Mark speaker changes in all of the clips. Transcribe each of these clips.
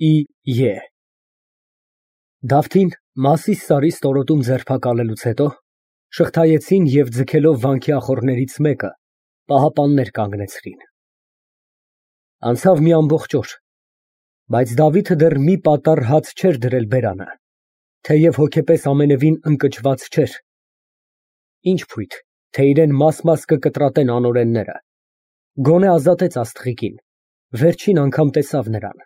Speaker 1: Է։ Դավթին Մասիս սարի ստորոտում ձերբակալելուց հետո շղթայեցին և ձգելով վանքի ախոռներից մեկը, պահապաններ կանգնեցրին։ Անցավ մի ամբողջ օր, բայց Դավիթը դեռ մի պատառ հաց չէր դրել բերանը, թեև հոգեպես ամենևին ընկճված չէր, ինչ փույթ, թե իրան մաս-մաս կկտրատեն անօրենները, գոնե ազատեց աստղիկին, վերջին անգամ տեսավ նրան։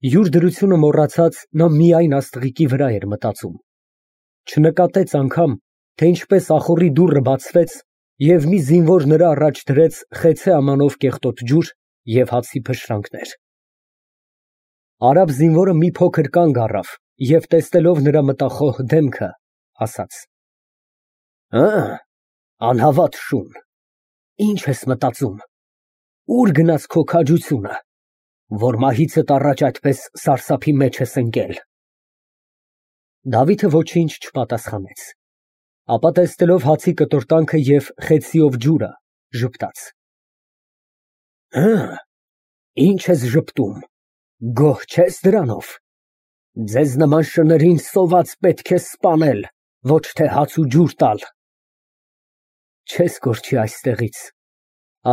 Speaker 1: Յուր դրությունը մոռացած, նա միայն աստղիկի վրա էր մտածում, չնկատեց անգամ, թե ինչպես ախոռի դուռը բացվեց և մի զինվոր նրա առաջ դրեց խեցե ամանով կեղտոտ ջուր և հացի փշրանքներ։ Արաբ զինվորը մի փոքր կանգ առավ և տեսնելով նրա մտախոհ դեմքը, ասաց. Անհավատ շուն, ինչ ես մտածում, ուր գնաց քո քաջությունը, որ մահիցդ առաջ այդպես սարսափի մեջ ես ընկել։ Դավիթը ոչինչ չպատասխանեց, ապա տեսնելով հացի կտորտանքը և խեցիով ջուրը, ժպտաց. Ինչ ես ժպտում, գոհ չես դրանով, ձեզ նման շներին սոված պետք է սպանել, ոչ թե հաց ու ջուր տալ։ Չես կորչի այստեղից,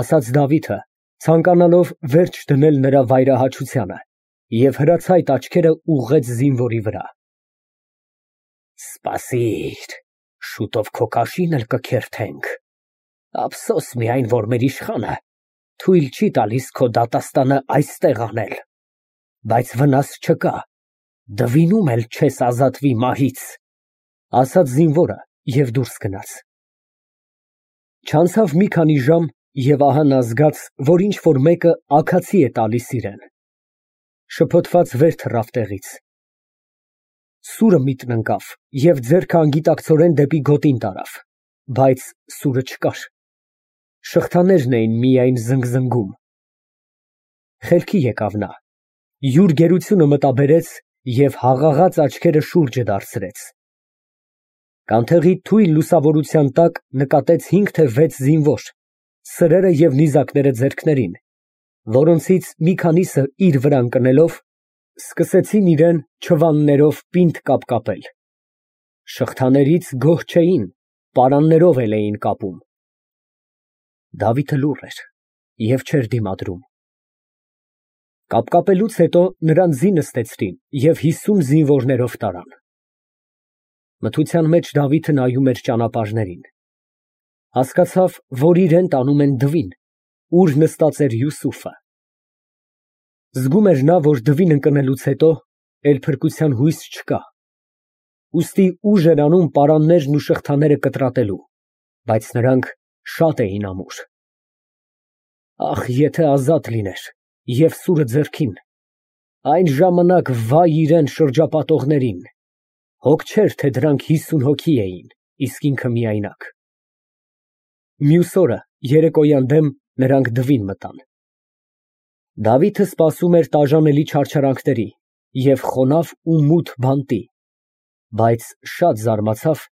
Speaker 1: ասաց Դավիթը, ցանկանալով վերջ դնել նրա վայրահաչությանը, և հրացայտ աչքերը ուղղեց զինվորի վրա։ Սպասիր, շուտով քո կաշին էլ կքերթենք, ափսոս միայն, որ մեր իշխանը թույլ չի տալիս քո դատաստանը այստեղ անել, բայց վնաս չկա, դվինում էլ չես ազատվի մահից, ասաց զինվորը և դուրս գնաց։ Չանցավ մի քանի ժամ, և ահա նա զգաց, որ ինչ֊որ մեկը աքացի է տալիս իրան, շփոթված վեր թռավ տեղից, սուրը միտն ընկավ և ձեռքը անգիտակցորեն դեպի գոտին տարավ, բայց սուրը չկար, շղթաներն էին միայն զնգզնգում։ Խելքի եկավ նա, յուր գերությունը մտաբերեց և հաղաղած աչքերը շուրջը դարձրեց։ Կանթեղի թույլ լուսավորության տակ նկատեց 5 թե 6 զինվոր, սրերը և նիզակները ձեռքներին, որոնցից մի քանիսը իր վրա ընկնելով, սկսեցին իրան չվաններով պինդ կապկապել, շղթաներից գոհ չէին, պարաններով էլ էին կապում։ Դավիթը լուռ էր և չէր դիմադրում։ Կապկապելուց հետո նրան ձի նստեցրին և 50 զինվորներով տարան։ Մթության մեջ Դավիթը նայում էր ճանապարհներին, հասկացավ, որ իրան տանում են դվին, ուր նստած էր Յուսուֆը։ Զգում էր նա, որ դվին ընկնելուց հետո էլ փրկության հույս չկա, ուստի ուժ էր անում պարաններն ու շղթաները կտրատելու, բայց նրանք շատ էին ամուր։ Ախ, եթե ազատ լիներ և սուրը ձեռքին, այն ժամանակ վայ իրան շրջապատողներին, հոգ չէր, թե դրանք 50 հոգի էին, իսկ ինքը միայնակ։ Մյուս օրը երեկոյան դեմ նրանք դվին մտան։ Դավիթը սպասում էր տաժանելի չարչարանքների և խոնավ ու մութ բանտի, բայց շատ զարմացավ,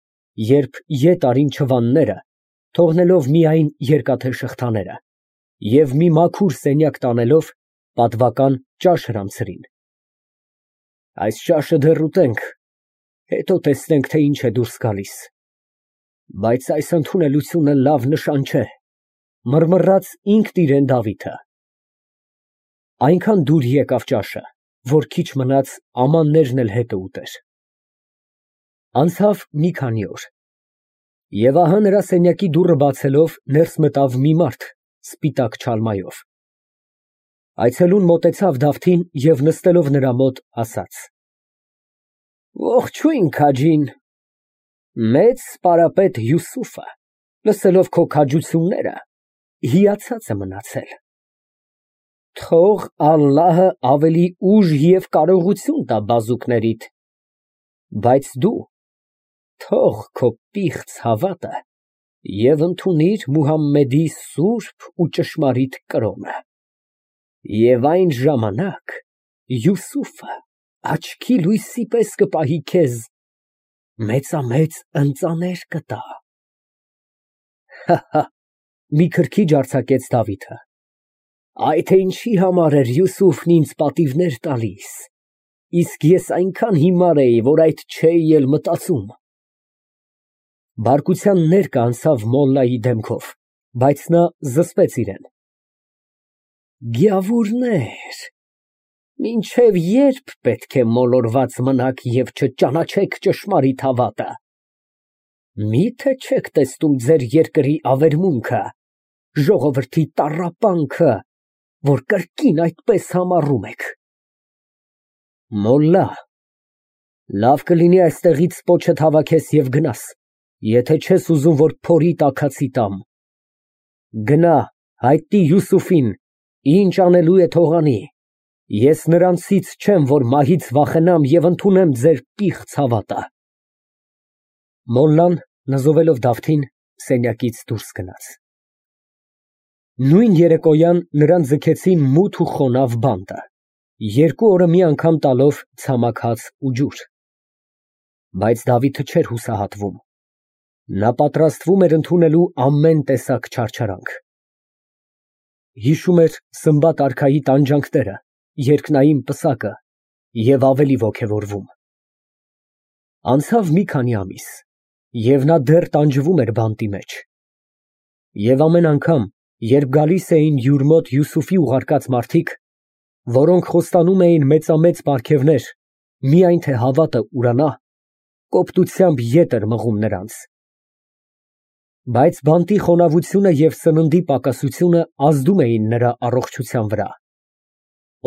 Speaker 1: երբ ետ արին չվանները, թողնելով միայն երկաթե շղթաները, և մի մաքուր սենյակ տանելով, պատվական ճաշ հրամցրին։ Այս ճաշը դեռ ուտենք, հետո տեսնենք, թե ինչ է դուրս գալիս, բայց այս ընդունելությունը լավ նշան չէ, մռմռաց ինքն իրան Դավիթը։ Այնքան դուր եկավ ճաշը, որ քիչ մնաց ամաններն էլ հետը ուտեր։ Անցավ մի քանի օր, և ահա նրա սենյակի դուռը բացելով ներս մտավ մի մարդ սպիտակ չալմայով։ Այցելուն մոտեցավ Դավթին և նստելով նրա մոտ, ասաց. Ողջույն, քաջին, մեծ սպարապետ Յուսուֆը, լսելով քո քաջությունները, հիացած է մնացել։ Թող Ալլահը ավելի ուժ և կարողություն տա բազուկներիդ, բայց դու թող քո պիղծ հավատը և ընդունիր Մուհամմեդի սուրբ ու ճշմարիտ կրոնը, և այն ժամանակ Յուսուֆը աչքի լույսի պես կպահի քեզ, մեծամեծ ընծաներ կտա։ Մի քրքիջ արձակեց Դավիթը։ Այ թե ինչի համար էր Յուսուֆն ինձ պատիվներ տալիս, իսկ ես այնքան հիմար էի, որ այդ չէի էլ մտածում։ Բարկության ներկը անցավ մոլլայի դեմքով, բայց նա զսպեց իրեն։ Գյավուրներ, մինչև երբ պետք է մոլորված մնաք և չճանաչեք ճշմարիտ հավատը։ Մի՞թե չեք տեսնում ձեր երկրի ավերմունքը, ժողովրդի տառապանքը, որ կրկին այդպես համառում եք։ Մոլլա, լավ կլինի այստեղից պոչդ հավաքես և գնաս, եթե չես ուզում, որ փորի տաքացի տամ։ Գնա, հայտնի Յուսուֆին, ինչ անելու է թող անի։ Ես նրանցից չեմ, որ մահից վախենամ և ընդունեմ ձեր պիղծ հավատը։ Մոլլան, նզովելով Դավթին, սենյակից դուրս գնաց։ Նույն երեկոյան նրան ձգեցին մութ ու խոնավ բանտը, 2 օրը մի անգամ տալով ցամաք հաց ու ջուր։ Բայց Դավիթը չէր հուսահատվում։ Նա պատրաստվում էր ընդունելու ամեն տեսակ չարչարանք։ Հիշում էր Սմբատ արքայի տանջանքները, երկնային պսակը և ավելի ոգևորվում։ Անցավ մի քանի ամիս, և նա դեռ տանջվում էր բանտի մեջ։ Եվ ամեն անգամ, երբ գալիս էին յուր մոտ Յուսուֆի ուղարկած մարդիկ, որոնք խոստանում էին մեծամեծ պարգևներ, միայն թե հավատը ուրանա, կոպտությամբ ետ էր մղում նրանց։ Բայց բանտի խոնավությունը և սննդի պակասությունը ազդում էին նրա առողջության վրա։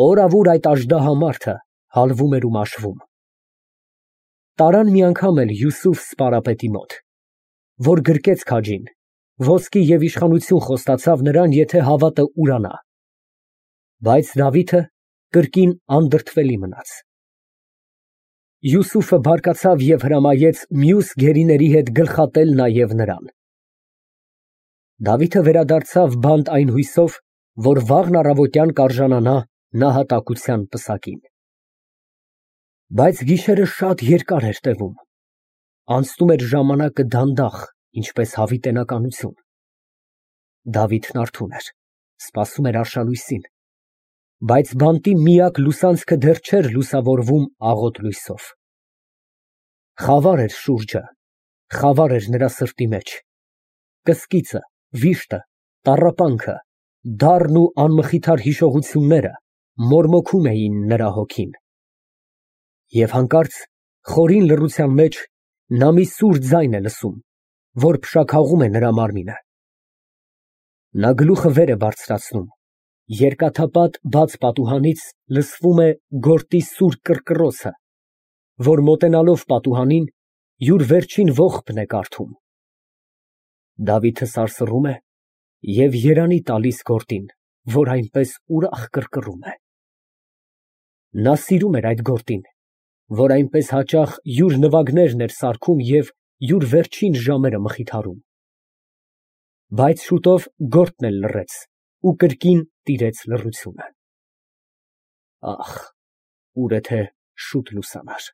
Speaker 1: Օրավուր այդ աժդահա մարդը հալվում էր ու մաշվում։ Տարան մի անգամ էլ Յուսուֆ սպարապետի մոտ, որ գրկեց քաջին, ոսկի և իշխանություն խոստացավ նրան, եթե հավատը ուրանա։ Բայց Դավիթը կրկին անդրդվելի մնաց։ Յուսուֆը բարկացավ և հրամայեց մյուս գերիների հետ գլխատել նաև նրան։ Դավիթը վերադարձավ բանտ այն հույսով, որ վաղն առավոտյան կարժանանա նահատակության պսակին։ Բայց գիշերը շատ երկար էր տևում, անցնում էր ժամանակը դանդաղ, ինչպես հավիտենականություն։ Դավիթն արթուն էր, սպասում էր արշալույսին, բայց բանտի միակ լուսանցքը դեռ չէր լուսավորվում աղոտ լույսով։ Խավար էր շուրջը, խավար էր նրա սրտի մեջ, կսկիծը, վիշտը, տառապանքը, դառն ու անմխիթար հիշողությունները մորմոքում էին նրա հոգին։ Եվ հանկարծ խորին լռության մեջ նա մի սուր ձայն է լսում, որ փշաքաղում է նրա մարմինը։ Նա գլուխը վեր է բարձրացնում, երկաթապատ բաց պատուհանից լսվում է գորտի սուր կռկռոցը, որ մոտենալով պատուհանին յուր վերջին ողբն է կարդում։ Դավիթը սարսռում է և երանի տալիս գորտին, որ այնպես ուրախ կռկռում է։ Նա սիրում էր այդ գորտին, որ այնպես հաճախ յուր նվագներն էր սարքում և յուր վերջին ժամերը մխիթարում։ Բայց շուտով գորտն էլ լռեց ու կրկին տիրեց լռությունը։ Ահ, ուր է թե շուտ լուսանար։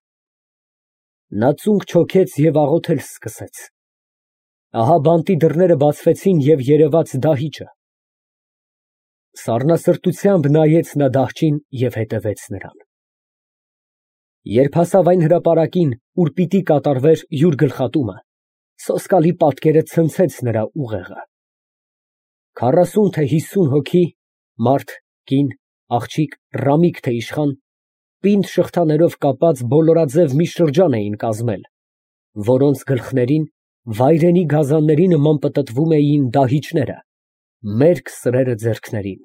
Speaker 1: Նա ծունկ չոքեց և աղոթել սկսեց։ Ահա բանտի դռները բացվեցին և երևաց դահիճը։ Սառնասրտությամբ նայեց նա դահճին և հետևեց նրան։ Երբ հասավ այն հրապարակին, ուր պիտի կատարվեր յուր գլխատումը, սոսկալի պատկերը ցնցեց նրա ուղեղը։ 40 թե 50 հոգի, մարդ, կին, աղջիկ, ռամիկ թե իշխան, պինդ շղթաներով կապած բոլորաձև մի շրջան էին կազմել, որոնց գլխներին վայրենի գազանների նման պտտվում էին դահիճները, մերկ սրերը ձեռքներին։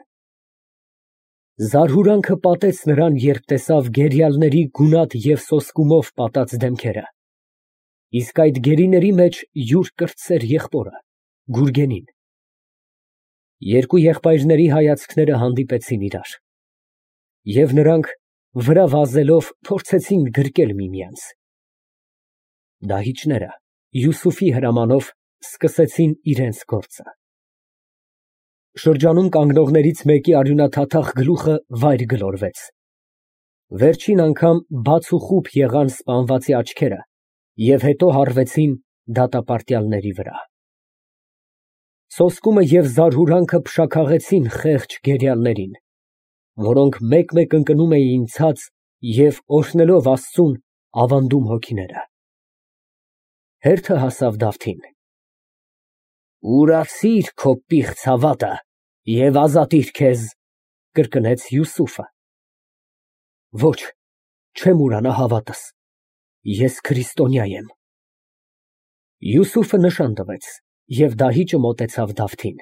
Speaker 1: Զարհուրանքը պատեց նրան, երբ տեսավ գերիալների գունատ և սոսկումով պատած դեմքերը, իսկ այդ գերիների մեջ յուր կրտսեր եղբորը՝ Գուրգենին։ Երկու եղբայրների հայացքները հանդիպեցին իրար, և նրանք վրա վազելով փորձեցին գրկել միմյանց։ Դահիճները Յուսուֆի հրամանով սկսեցին իրենց գործը։ Շրջանում կանգնողներից մեկի արյունաթաթախ գլուխը վայր գլորվեց։ Վերջին անգամ բաց ու խուլ եղան սպանվածի աչքերը և հետո հառվեցին դատապարտյալների վրա։ Սոսկումը և զարհուրանքը փշաքաղեցին խեղճ գերիաններին, որոնք մեկ֊մեկ ընկնում էին ցած և, օրհնելով Աստծուն, ավանդում հոգիները։ Հերթը հասավ Դավթին. «Ուրացիր քո պիղծ հավատը և ազատիր քեզ», կրկնեց Յուսուֆը։ Ոչ, չեմ ուրանա հավատս, ես քրիստոնյա եմ։ Յուսուֆը նշան տվեց, և դահիճը մոտեցավ Դավթին։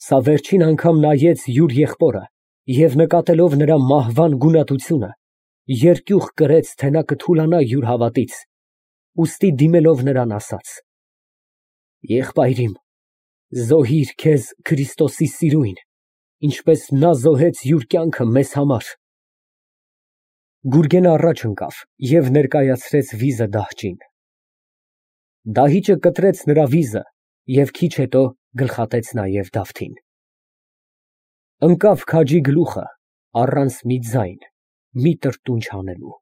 Speaker 1: Սա վերջին անգամ նայեց յուր եղբորը և նկատելով նրա մահվան գունատությունը, երկյուղ կրեց, թե նա կթուլանա յուր հավատից, ուստի դիմելով նրան ասաց. «Եղբայրիմ, զոհիր քեզ Քրիստոսի սիրույն, ինչպես նա զոհեց յուր կյանքը մեզ համար»։ Գուրգենը առաջ ընկավ և ներկայացրեց վիզը դահճին։ Դահիճը կտրեց նրա վիզը և քիչ հետո գլխատեց նաև Դավթին։ Ընկավ քաջի գլուխը առանց մի ձայն, մի տրտունջ հանելու։